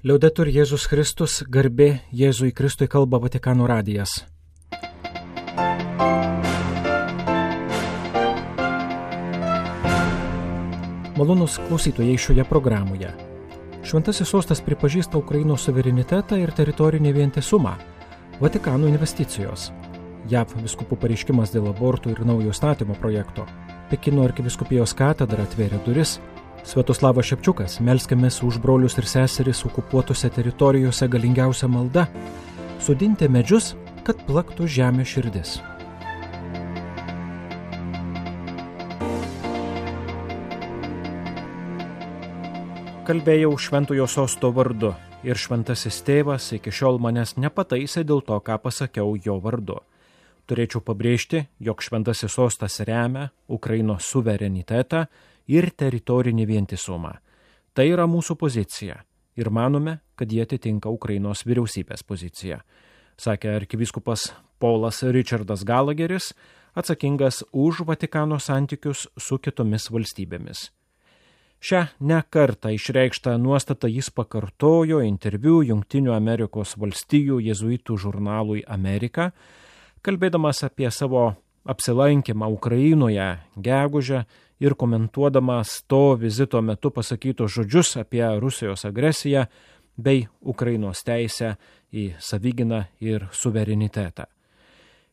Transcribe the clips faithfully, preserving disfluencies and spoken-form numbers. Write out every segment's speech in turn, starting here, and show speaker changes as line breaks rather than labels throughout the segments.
Liaudetur Jėzus Kristus, garbė Jėzui Kristui, kalba Vatikano radijas. Malonūs klausytojai šioje programoje. Šventasis sostas pripažįsta Ukrainos suverenitetą ir teritorinį vientisumą. Vatikano investicijos. J A V vyskupų pareiškimas dėl abortų ir naujo statymo projekto. Pekino arkivyskupijos katedra atvėrė duris. Sviatoslavas Šepčiukas, melskimės už brolius ir seseris okupuotose teritorijose galingiausia malda – sodinti medžius, kad plaktų žemė širdis. Kalbėjau šventojo sosto vardu ir šventasis tėvas iki šiol manęs nepataisė dėl to, ką pasakiau jo vardu. Turėčiau pabrėžti, jog šventasis sostas remia Ukrainos suverenitetą ir teritorinį vientisumą. Tai yra mūsų pozicija ir manome, kad jie atitinka Ukrainos vyriausybės poziciją, sakė arkivyskupas Paulas Richardas Gallagheris, atsakingas už Vatikano santykius su kitomis valstybėmis. Šią ne kartą išreikštą nuostatą jis pakartojo interviu Jungtinių Amerikos valstijų jėzuitų žurnalui Amerika, kalbėdamas apie savo apsilankymą Ukrainoje gegužę ir komentuodamas to vizito metu pasakytus žodžius apie Rusijos agresiją bei Ukrainos teisę į savigyną ir suverenitetą.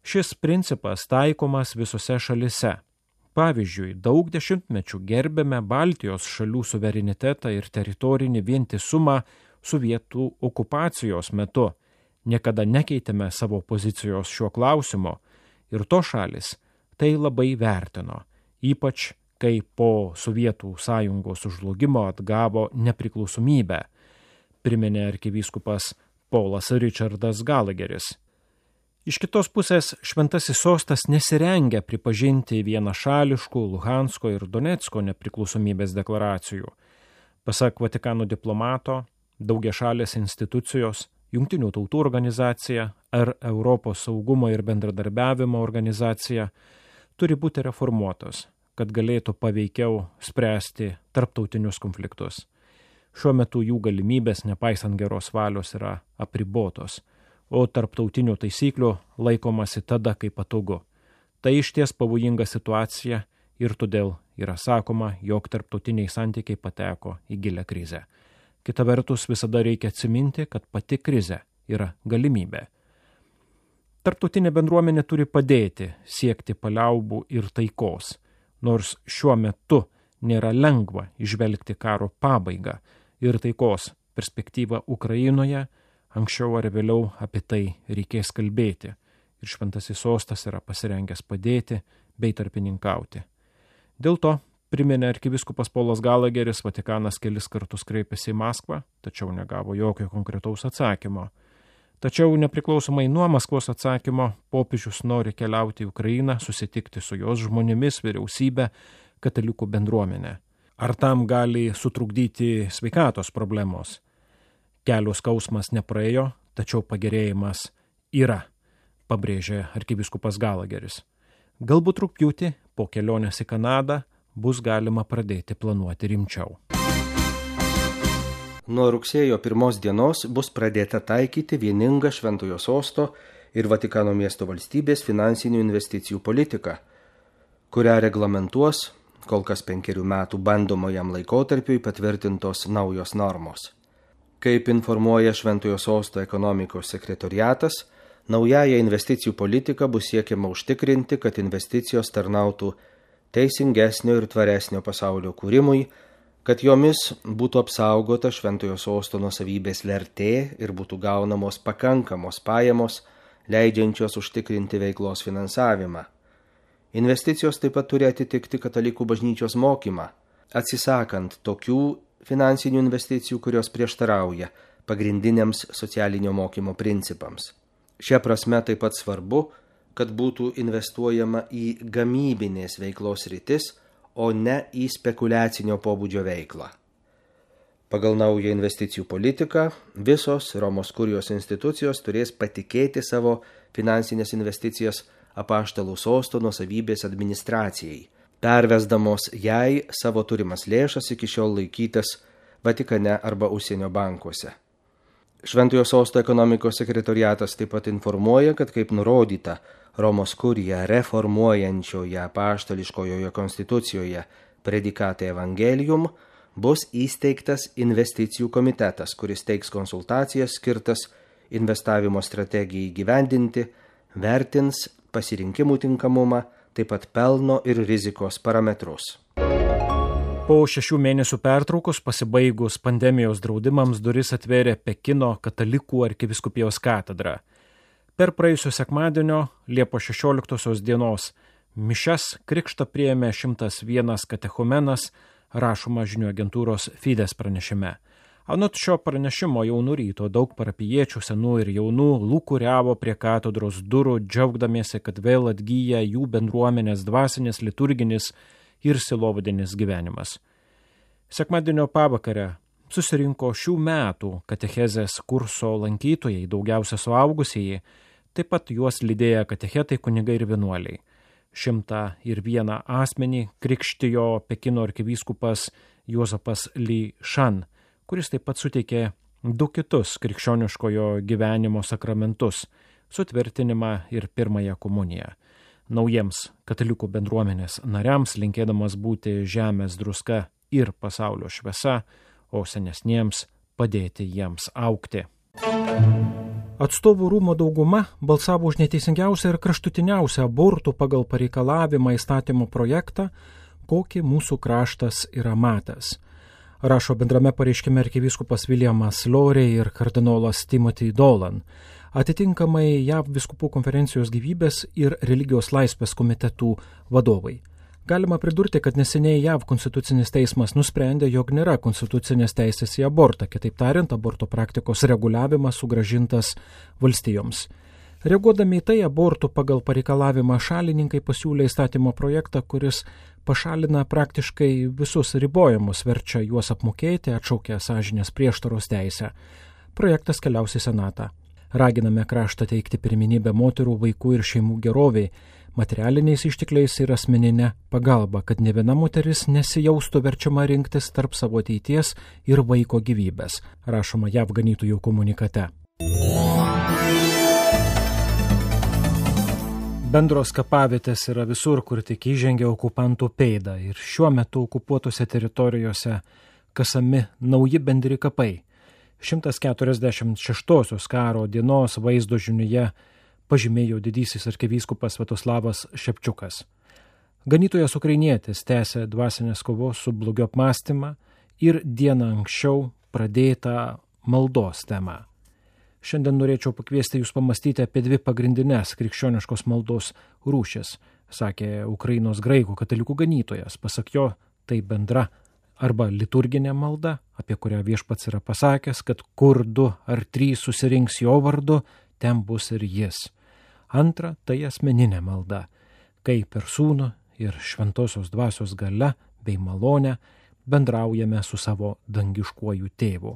Šis principas taikomas visose šalise. Pavyzdžiui, daug dešimtmečių gerbėme Baltijos šalių suverenitetą ir teritorinį vientisumą sovietų okupacijos metu. Niekada nekeitėme savo pozicijos šiuo klausimu ir to šalis tai labai vertino, ypač kai po Sovietų sąjungos sužlugimo atgavo nepriklausomybę, priminė arkivyskupas Paulas Richardas Gallagheris. Iš kitos pusės, šventasis sostas nesirengia pripažinti vienašališkų Luhansko ir Donecko nepriklausomybės deklaracijų. Pasak Vatikano diplomato, daugiašalės institucijos, Jungtinių tautų organizacija ar Europos saugumo ir bendradarbiavimo organizacija turi būti reformuotos, kad galėtų paveikiau spręsti tarptautinius konfliktus. Šiuo metu jų galimybės, nepaisant geros valios, yra apribotos, o tarptautinių taisyklių laikomasi tada, kai patogu. Tai išties pavojinga situacija ir todėl yra sakoma, jog tarptautiniai santykiai pateko į gilią krizę. Kita vertus, visada reikia atsiminti, kad pati krizė yra galimybė. Tarptautinė bendruomenė turi padėti siekti paliaubų ir taikos, nors šiuo metu nėra lengva įžvelgti karo pabaigą ir taikos perspektyvą Ukrainoje, anksčiau ar vėliau apie tai reikės kalbėti ir šventasis sostas yra pasirengęs padėti bei tarpininkauti. Dėl to, priminė arkivyskupas Paulas Gallagheris, Vatikanas kelis kartus kreipėsi į Maskvą, tačiau negavo jokio konkretaus atsakymo. Tačiau nepriklausomai nuo Maskvos atsakymo, popiežius nori keliauti į Ukrainą, susitikti su jos žmonėmis, vyriausybė, katalikų bendruomenė. Ar tam gali sutrukdyti sveikatos problemos? Kelio skausmas nepraėjo, tačiau pagerėjimas yra, pabrėžė arkivyskupas Gallagheris. Galbūt rugpjūtį po kelionės į Kanadą bus galima pradėti planuoti rimčiau.
Nuo rugsėjo pirmos dienos bus pradėta taikyti vieningą Šventojo sosto ir Vatikano miesto valstybės finansinių investicijų politiką, kurią reglamentuos kol kas penkerių metų bandomajam laikotarpiui patvirtintos naujos normos. Kaip informuoja Šventojo sosto ekonomikos sekretoriatas, naująją investicijų politiką bus siekiama užtikrinti, kad investicijos tarnautų teisingesnio ir tvaresnio pasaulio kūrimui, kad jomis būtų apsaugota Šventojo sosto nuosavybės vertė ir būtų gaunamos pakankamos pajamos, leidžiančios užtikrinti veiklos finansavimą. Investicijos taip pat turi atitikti katalikų bažnyčios mokymą, atsisakant tokių finansinių investicijų, kurios prieštarauja pagrindiniams socialinio mokymo principams. Šia prasme taip pat svarbu, kad būtų investuojama į gamybinės veiklos sritis, o ne į spekuliacinio pobūdžio veiklą. Pagal naują investicijų politiką visos Romos kurijos institucijos turės patikėti savo finansinės investicijas apaštalų sosto nuosavybės administracijai, pervesdamos jai savo turimas lėšas iki šiol laikytas Vatikane arba užsienio bankuose. Šventojo sosto ekonomikos sekretoriatas taip pat informuoja, kad kaip nurodyta Romos kuriją reformuojančioje apaštališkojoje konstitucijoje Predikate Evangelium, bus įsteigtas investicijų komitetas, kuris teiks konsultacijas skirtas investavimo strategijai įgyvendinti, vertins pasirinkimų tinkamumą, taip pat pelno ir rizikos parametrus.
Po šešių mėnesių pertraukos pasibaigus pandemijos draudimams duris atvėrė Pekino katalikų arkivyskupijos katedra. Per praėjusio sekmadienio Liepos šešioliktosios dienos mišias krikštą priėmė šimtas vienas katechumenas, rašoma žinių agentūros Fides pranešime. Anot šio pranešimo jau nuo ryto daug parapijiečių senų ir jaunų lūkuriavo prie katedros durų, džiaugdamiesi, kad vėl atgyja jų bendruomenės dvasinis, liturginis ir silovadinis gyvenimas. Sekmadienio pavakarę susirinko šių metų katechezės kurso lankytojai, daugiausia suaugusieji, taip pat juos lydėję katechetai, kunigai ir vienuoliai. Šimtą ir vieną asmenį krikštijo Pekino arkivyskupas Juozapas Li Shan, kuris taip pat suteikė du kitus krikščioniškojo gyvenimo sakramentus – sutvirtinimą ir pirmąją komuniją. Naujiems katalikų bendruomenės nariams linkėdamas būti žemės druska ir pasaulio šviesa, o senesniems padėti jiems augti. Atstovų rūmų dauguma balsavo už neteisingiausią ir kraštutiniausią abortų pagal pareikalavimą įstatymo projektą, kokį mūsų kraštas yra matęs. Rašo bendrame pareiškime arkivyskupas Williamas Lorey ir kardinolas Timothy Dolan. Atitinkamai J A V vyskupų konferencijos gyvybės ir religijos laisvės komitetų vadovai. Galima pridurti, kad neseniai J A V konstitucinis teismas nusprendė, jog nėra konstitucinės teisės į abortą, kitaip tariant, aborto praktikos reguliavimas sugrąžintas valstijoms. Reaguodami į tai, abortų pagal pareikalavimą šalininkai pasiūlė įstatymo projektą, kuris pašalina praktiškai visus ribojimus, verčia juos apmokėti, atšaukia sąžinės prieštaros teisę. Projektas keliaus į Senatą. Raginame kraštą teikti pirmenybę moterų, vaikų ir šeimų geroviai, materialiniais ištekliais ir asmeninę pagalbą, kad ne viena moteris nesijaustų verčiama rinktis tarp savo ateities ir vaiko gyvybės, rašoma J A V ganytojų komunikate. Bendros kapavietės yra visur, kur tik įžengia okupantų pėdą, ir šiuo metu okupuotose teritorijose kasami nauji bendri kapai. šimtas keturiasdešimt šeštosios karo dienos vaizdo žiniuje pažymėjo didysis arkivyskupas Sviatoslavas Šepčiukas. Ganytojas ukrainietis tęsė dvasinės kovos su blogiu apmąstymą ir dieną anksčiau pradėtą maldos temą. Šiandien norėčiau pakviesti jūs pamastyti apie dvi pagrindinės krikščioniškos maldos rūšis, sakė Ukrainos graikų katalikų ganytojas. Pasak jo, tai bendra arba liturginė malda, apie kurią viešpats yra pasakęs, kad kur du ar trys susirinks jo vardu, ten bus ir jis. Antra, tai asmeninė malda, kai per sūnų ir šventosios dvasios galia bei malonę bendraujame su savo dangiškuoju tėvu.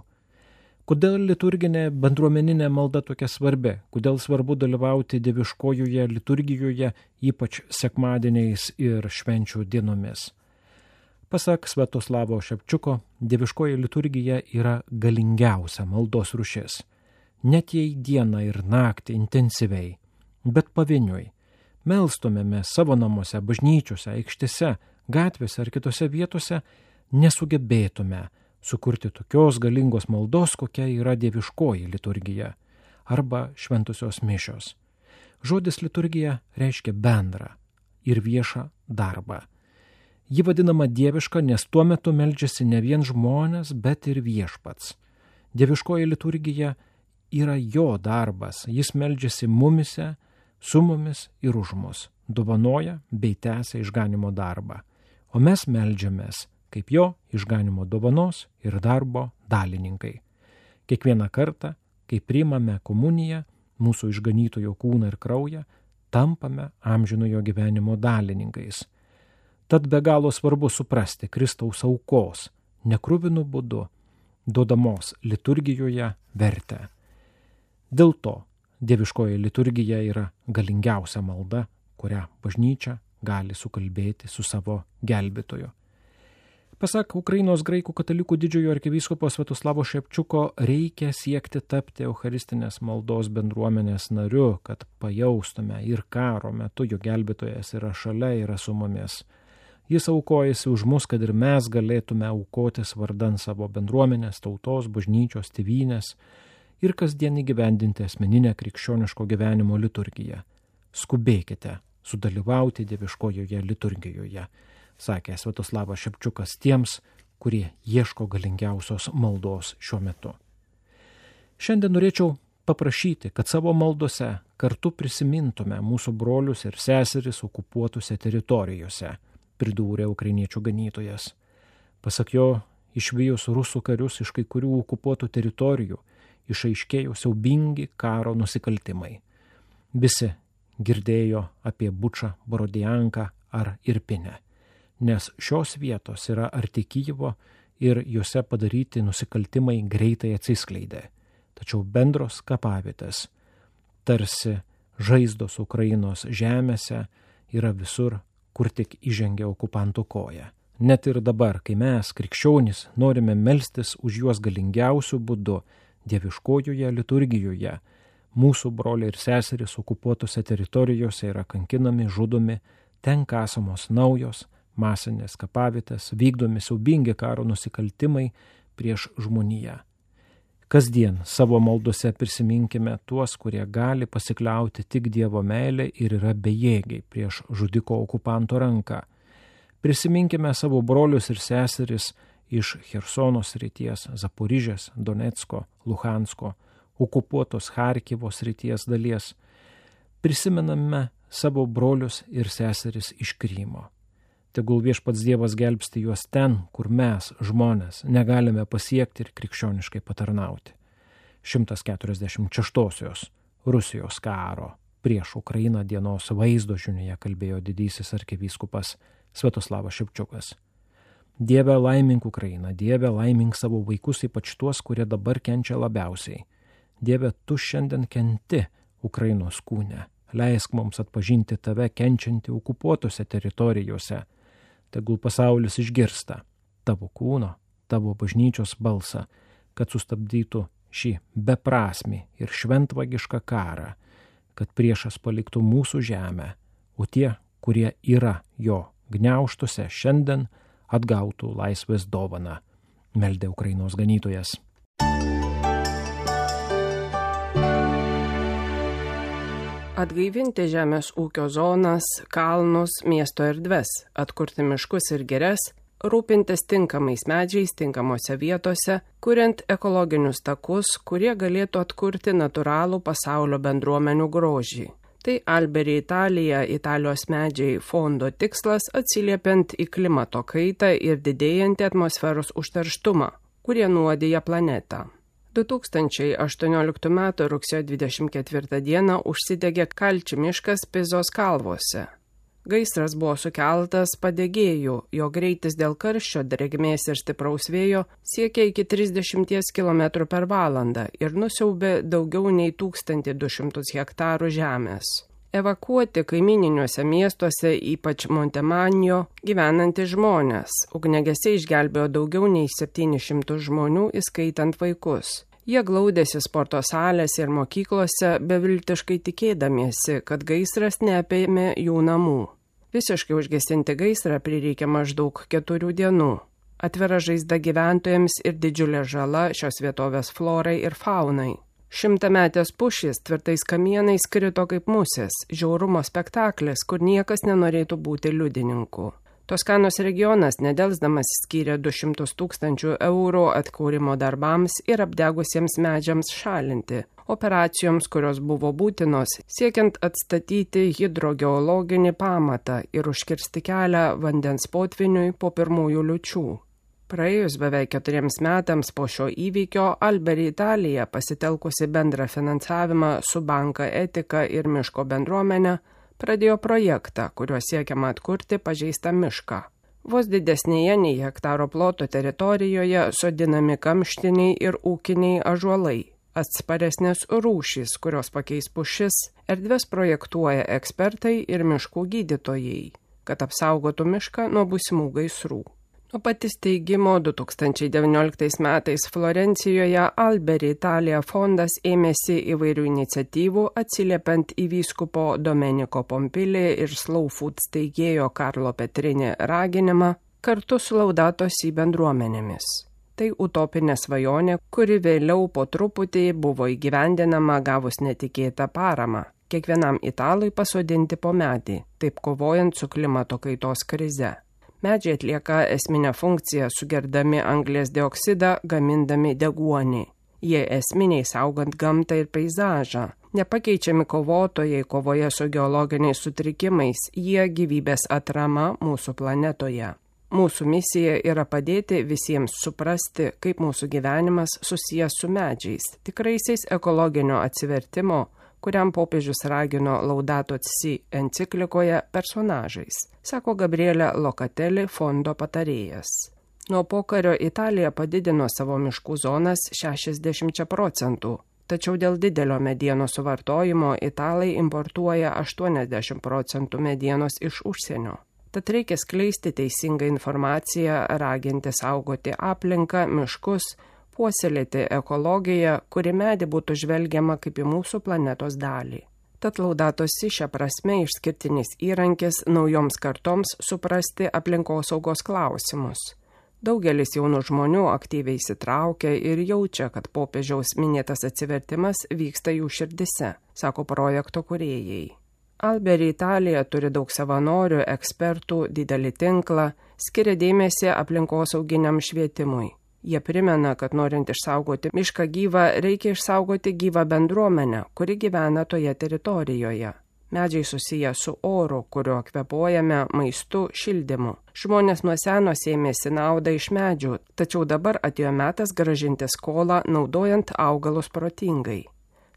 Kodėl liturginė bendruomeninė malda tokia svarbi? Kodėl svarbu dalyvauti dieviškojoje liturgijoje, ypač sekmadieniais ir švenčių dienomis? Pasak Sviatoslavo Šepčiuko, dieviškoji liturgija yra galingiausia maldos rūšis. Net jei dieną ir naktį intensyviai, bet pavieniui, melstumėme savo namuose, bažnyčiose, aikštėse, gatvėse ar kitose vietose, nesugebėtume sukurti tokios galingos maldos, kokia yra dieviškoji liturgija arba šventosios mišios. Žodis liturgija reiškia bendrą ir viešą darbą. Ji vadinama dieviška, nes tuo metu meldžiasi ne vien žmonės, bet ir viešpats. Dieviškoji liturgija yra jo darbas, jis meldžiasi mumise, su mumis ir už mus, dovanoja bei tęsia išganimo darbą. O mes meldžiamės kaip jo išganimo dovanos ir darbo dalininkai. Kiekvieną kartą, kai priimame komuniją, mūsų išganytojo kūną ir kraują, tampame amžinojo gyvenimo dalininkais. Tad be galo svarbu suprasti Kristaus aukos, nekruvinų būdu, duodamos liturgijoje vertę. Dėl to dieviškoji liturgija yra galingiausia malda, kurią bažnyčia gali sukalbėti su savo gelbėtoju. Pasak Ukrainos graikų katalikų didžiojo arkivyskupo Sviatoslavo Šepčiuko, reikia siekti tapti eucharistinės maldos bendruomenės nariu, kad pajaustume ir karo metu, jo gelbėtojas yra šalia, yra su mumis. Jis aukojasi už mus, kad ir mes galėtume aukotis vardan savo bendruomenės, tautos, bažnyčios, tėvynės ir kasdien įgyvendinti asmeninę krikščioniško gyvenimo liturgiją. Skubėkite sudalyvauti dieviškojoje liturgijoje, sakė Sviatoslavas Šepčiukas tiems, kurie ieško galingiausios maldos šiuo metu. Šiandien norėčiau paprašyti, kad savo maldose kartu prisimintume mūsų brolius ir seseris okupuotose teritorijose, pridūrė ukrainiečių ganytojas. Pasak jo, išvijus rusų karius iš kai kurių okupuotų teritorijų, išaiškėjo siaubingi karo nusikaltimai. Visi girdėjo apie Bučą, Borodianką ar Irpinę, nes šios vietos yra arti Kyjivo ir juose padaryti nusikaltimai greitai atsiskleidė. Tačiau bendros kapavietės, tarsi žaizdos Ukrainos žemėse, yra visur, kur tik įžengia okupantų koja. Net ir dabar, kai mes, krikščionys, norime melstis už juos galingiausių būdų dieviškojoje liturgijoje, mūsų broliai ir seserys okupuotose teritorijose yra kankinami, žudomi, ten kasamos naujos masinės kapavietės, vykdomi siaubingi karo nusikaltimai prieš žmoniją. Kasdien savo maldose prisiminkime tuos, kurie gali pasikliauti tik Dievo meilę ir yra bejėgiai prieš žudiko okupanto ranką. Prisiminkime savo brolius ir seseris iš Chersono srities, Zaporižės, Donecko, Luhansko, okupuotos Charkivo srities dalies. Prisimename savo brolius ir seseris iš Krymo. Tegul viešpats Dievas gelbsti juos ten, kur mes, žmonės, negalime pasiekti ir krikščioniškai patarnauti. šimtas keturiasdešimt šeštosios Rusijos karo prieš Ukrainą dienos vaizdo žinioje kalbėjo didysis arkivyskupas Sviatoslavas Šepčiukas. Dieve, laimink Ukrainą, Dieve, laimink savo vaikus, ypač tuos, kurie dabar kenčia labiausiai. Dieve, tu šiandien kenti Ukrainos kūne. Leisk mums atpažinti tave kenčiantį okupuotose teritorijose. Tegul pasaulis išgirsta tavo kūno, tavo bažnyčios balsą, kad sustabdytų šį beprasmį ir šventvagišką karą, kad priešas paliktų mūsų žemę, o tie, kurie yra jo gniaužtuose, šiandien atgautų laisvės dovaną, meldė Ukrainos ganytojas.
Atgaivinti žemės ūkio zonas, kalnus, miesto erdves, atkurti miškus ir girias, rūpintis tinkamais medžiais tinkamose vietose, kuriant ekologinius takus, kurie galėtų atkurti natūralų pasaulio bendruomenių grožį. Tai Alberi Italija, Italijos medžiai fondo tikslas atsiliepiant į klimato kaitą ir didėjantį atmosferos užterštumą, kurie nuodija planetą. du tūkstančiai aštuonioliktų metų rugsėjo dvidešimt ketvirtą dieną užsidegė Kalči miškas Pizos kalvose. Gaisras buvo sukeltas padegėjų, jo greitis dėl karščio, drėgmės ir stipraus vėjo siekia iki trisdešimt kilometrų per valandą ir nusiaubė daugiau nei tūkstantį du šimtus hektarų žemės. Evakuoti kaimininiuose miestuose, ypač Montemanio, gyvenantys žmonės. Ugniagesiai išgelbėjo daugiau nei septynis šimtus žmonių, įskaitant vaikus. Jie glaudėsi sporto salėse ir mokyklose, beviltiškai tikėdamiesi, kad gaisras neapėmė jų namų. Visiškai užgesinti gaisrą prireikė maždaug keturių dienų. Atvira žaizda gyventojams ir didžiulė žala šios vietovės florai ir faunai. Šimtametės pušys tvirtais kamienais krito kaip musės, žiaurumo spektaklis, kur niekas nenorėtų būti liudininku. Toskanos regionas nedelsdamas skyrė du šimtus tūkstančių eurų atkūrimo darbams ir apdegusiems medžiams šalinti, operacijoms, kurios buvo būtinos, siekiant atstatyti hidrogeologinį pamatą ir užkirsti kelią vandens potviniui po pirmųjų liūčių. Praėjus beveik keturiems metams po šio įvykio, Alberi Italija, pasitelkusi bendrą finansavimą su banka Etika ir miško bendruomenė, pradėjo projektą, kuriuo siekiama atkurti pažeistą mišką. Vos didesnėje nei hektaro ploto teritorijoje sodinami kamštiniai ir ūkiniai ąžuolai, atsparesnės rūšys, kurios pakeis pušis, erdves projektuoja ekspertai ir miškų gydytojai, kad apsaugotų mišką nuo būsimų gaisrų. Nuo pat įsteigimo du tūkstančiai devynioliktais metais Florencijoje Alberi Italia fondas ėmėsi įvairių iniciatyvų atsiliepiant į vyskupo Domenico Pompili ir Slow Food steigėjo Karlo Petrini raginimą kartu su Laudato Si bendruomenėmis. Tai utopinė svajonė, kuri vėliau po truputį buvo įgyvendinama gavus netikėtą paramą. Kiekvienam italui pasodinti po medį, taip kovojant su klimato kaitos krize. Medžiai atlieka esminę funkciją, sugerdami anglies dioksidą, gamindami deguonį. Jie esminiai saugant gamtą ir peizažą. Nepakeičiami kovotojai kovoje su geologiniais sutrikimais, jie gyvybės atrama mūsų planetoje. Mūsų misija yra padėti visiems suprasti, kaip mūsų gyvenimas susijęs su medžiais, tikraisiais ekologinio atsivertimo, kuriam popiežius ragino Laudato Si enciklikoje personažais, sako Gabrielė Locatelli fondo patarėjas. Nuo pokario Italija padidino savo miškų zonas šešiasdešimčia procentų, tačiau dėl didelio medienos suvartojimo italai importuoja aštuoniasdešimt procentų medienos iš užsienio. Tad reikia skleisti teisingą informaciją, raginti saugoti aplinką, miškus, puoselėti ekologiją, kuri medį būtų žvelgiama kaip į mūsų planetos dalį. Tad Laudato Si šia prasme išskirtinis įrankis naujoms kartoms suprasti aplinkosaugos klausimus. Daugelis jaunų žmonių aktyviai įsitraukia ir jaučia, kad popiežiaus minėtas atsivertimas vyksta jų širdise, sako projekto kūrėjai. Alberi Italija turi daug savanorių, ekspertų, didelį tinklą, skiria dėmesį aplinkosauginiam švietimui. Jie primena, kad norint išsaugoti mišką gyvą, reikia išsaugoti gyvą bendruomenę, kuri gyvena toje teritorijoje. Medžiai susiję su oru, kuriuo kvėpuojame, maistu, šildymu. Žmonės nuo seno sėmėsi naudą iš medžių, tačiau dabar atėjo metas grąžinti skolą, naudojant augalus protingai.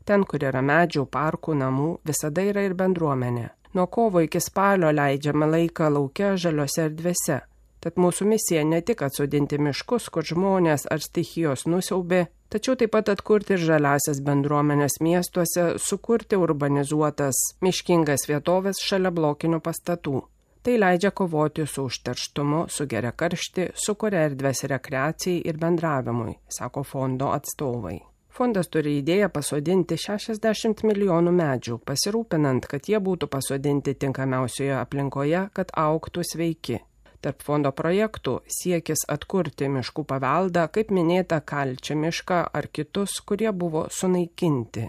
Ten, kur yra medžių, parkų, namų, visada yra ir bendruomenė. Nuo kovo iki spalio leidžiame laiką lauke žaliose erdvėse. Tad mūsų misija ne tik atsodinti miškus, kur žmonės ar stichijos nusiaubė, tačiau taip pat atkurti ir žaliasias bendruomenės miestuose, sukurti urbanizuotas miškingas vietovės šalia blokinių pastatų. Tai leidžia kovoti su užterštumu, sugeria karštį, sukuria erdvės rekreacijai ir bendravimui, sako fondo atstovai. Fondas turi idėją pasodinti šešiasdešimt milijonų medžių, pasirūpinant, kad jie būtų pasodinti tinkamiausioje aplinkoje, kad augtų sveiki. Tarp fondo projektų siekis atkurti miškų paveldą, kaip minėta Kalčio mišką ar kitus, kurie buvo sunaikinti.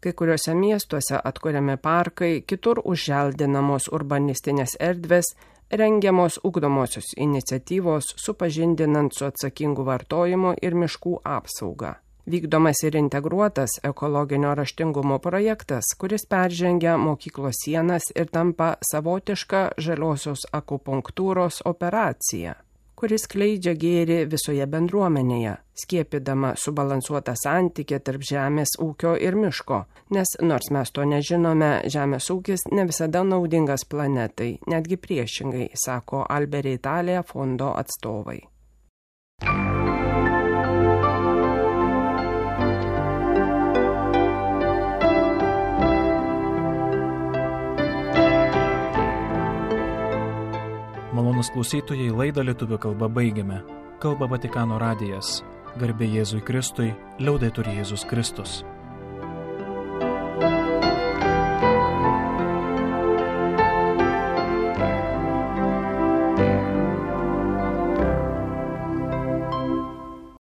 Kai kuriuose miestuose atkuriami parkai, kitur užželdinamos urbanistinės erdvės, rengiamos ugdomosios iniciatyvos, supažindinant su atsakingu vartojimu ir miškų apsauga. Vykdomas ir integruotas ekologinio raštingumo projektas, kuris peržengia mokyklos sienas ir tampa savotiška žaliosios akupunktūros operacija, kuris skleidžia gėrį visoje bendruomenėje, skiepydama subalansuotą santykį tarp žemės ūkio ir miško, nes nors mes to nežinome, žemės ūkis ne visada naudingas planetai, netgi priešingai, sako Alberi Italia fondo atstovai.
Malonūs klausytojai, laidą lietuvių kalba baigiame. Kalba Vatikano radijas. Garbė Jėzui Kristui, liaudetur Jėzus Kristus.